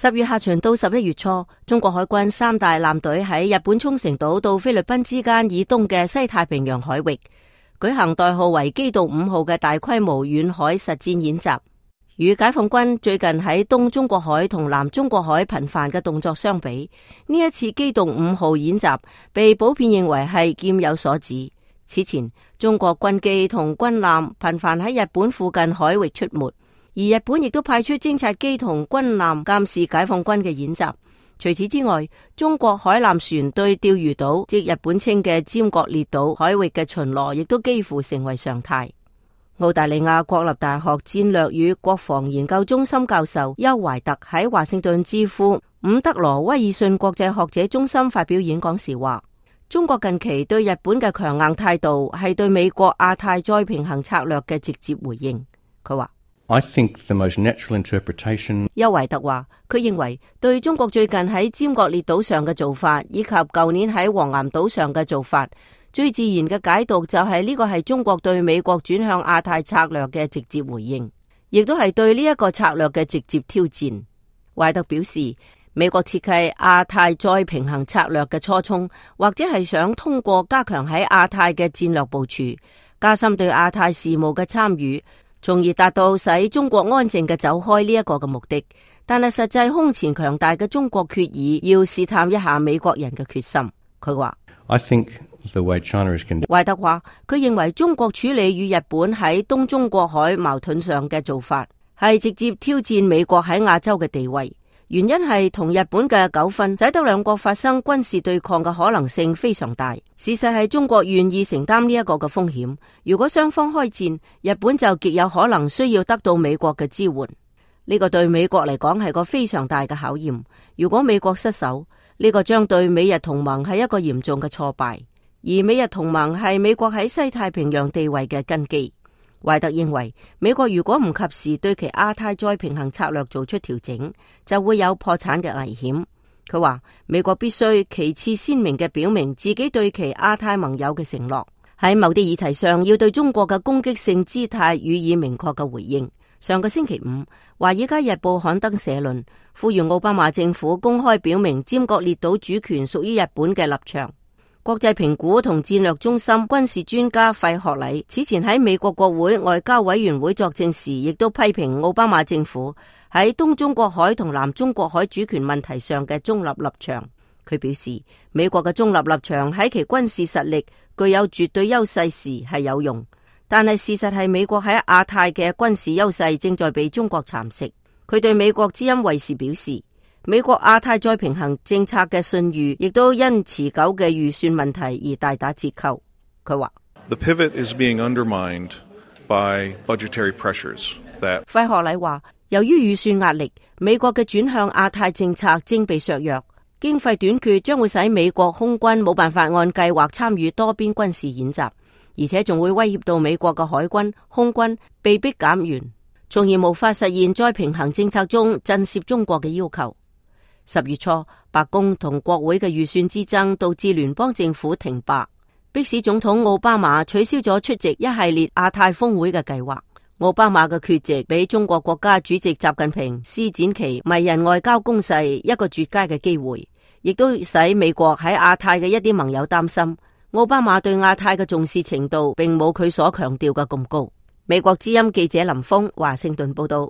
10月下旬到11月初，中國海軍3大艦隊喺日本沖繩島到菲律賓之間以東嘅西太平洋海域舉行代號為機動5號嘅大規模遠海實戰演習。與解放軍最近喺東中國海同南中國海頻繁嘅動作相比，呢一次機動5號演習被普遍認為係劍有所指。此前，中國軍機同軍艦頻繁喺日本附近海域出沒，而日本亦都派出偵察機同軍艦監視解放軍嘅演習。除此之外，中國海艦船對釣魚島，即日本稱嘅尖閣列島海域嘅巡邏，亦都幾乎成為常態。澳大利亞國立大學戰略與國防研究中心教授邱懷特喺華盛頓智庫伍德羅威爾遜國際學者中心發表演講時話，中國近期對日本嘅強硬態度係對美國亞太再平衡策略嘅直接回應。佢話I think the most natural interpretation。邱懷特話，佢認為對中國最近喺尖閣列島上嘅做法，以及舊年喺黃岩島上嘅做法，最自然嘅解讀就係呢個係中國對美國轉向亞太策略嘅直接回應，亦都係對呢一個策略嘅直接挑戰。懷特表示，美國設計亞太再平衡策略嘅初衷，或者係想通過加強喺亞太嘅戰略部署，加深對亞太事務嘅參與，從而達到使中國安靜嘅走開呢一個嘅目的。但係實際空前強大嘅中國決意要試探一下美國人嘅決心。佢話I think the way China is conducting。懷特話，佢認為中國處理與日本喺東中國海矛盾上嘅做法，係直接挑戰美國喺亞洲嘅地位。原因係同日本嘅糾紛，使得兩國發生軍事對抗嘅可能性非常大。事實係中國願意承擔呢一個嘅風險。如果雙方開戰，日本就極有可能需要得到美國嘅支援。呢個對美國嚟講係個非常大嘅考驗。如果美國失守，呢個將對美日同盟係一個嚴重嘅挫敗。而美日同盟係美國喺西太平洋地位嘅根基。懷特認為，美國如果唔及時對其亞太再平衡策略做出調整，就會有破產嘅危險。佢話，美國必須其次鮮明嘅表明自己對其亞太盟友嘅承諾，喺某啲議題上要對中國嘅攻擊性姿態予以明確嘅回應。上個星期五，《華爾街日報》刊登社論，呼籲奧巴馬政府公開表明尖閣列島主權屬於日本嘅立場。國際評估同戰略中心軍事專家費學禮此前喺美國國會外交委員會作證時，亦都批評奧巴馬政府喺東中國海同南中國海主權問題上嘅中立立場。佢表示，美國嘅中立立場喺其軍事實力具有絕對優勢時係有用，但係事實係美國喺亞太嘅軍事優勢正在被中國蠶食。佢對美國之音衛視表示，美國亞太再平衡政策嘅信譽亦都因持久嘅預算問題而大打折扣。佢話The pivot is being undermined by budgetary pressures that。費學禮話，由於預算壓力，美國嘅轉向亞太政策正被削弱，經費短缺將會使美國空軍冇辦法按計劃參與多邊軍事演習，而且仲會威脅到美國嘅海軍、空軍被迫減員，從而無法實現再平衡政策中震懾中國嘅要求。10月初，白宮同國會嘅預算之爭導致聯邦政府停擺，迫使總統奧巴馬取消咗出席一系列亞太峰會嘅計劃。奧巴馬嘅缺席俾中國國家主席習近平施展其迷人外交攻勢一個絕佳嘅機會，亦都使美國喺亞太嘅一啲盟友擔心，奧巴馬對亞太嘅重視程度並冇佢所強調嘅咁高。美國之音記者林峰華盛頓報道。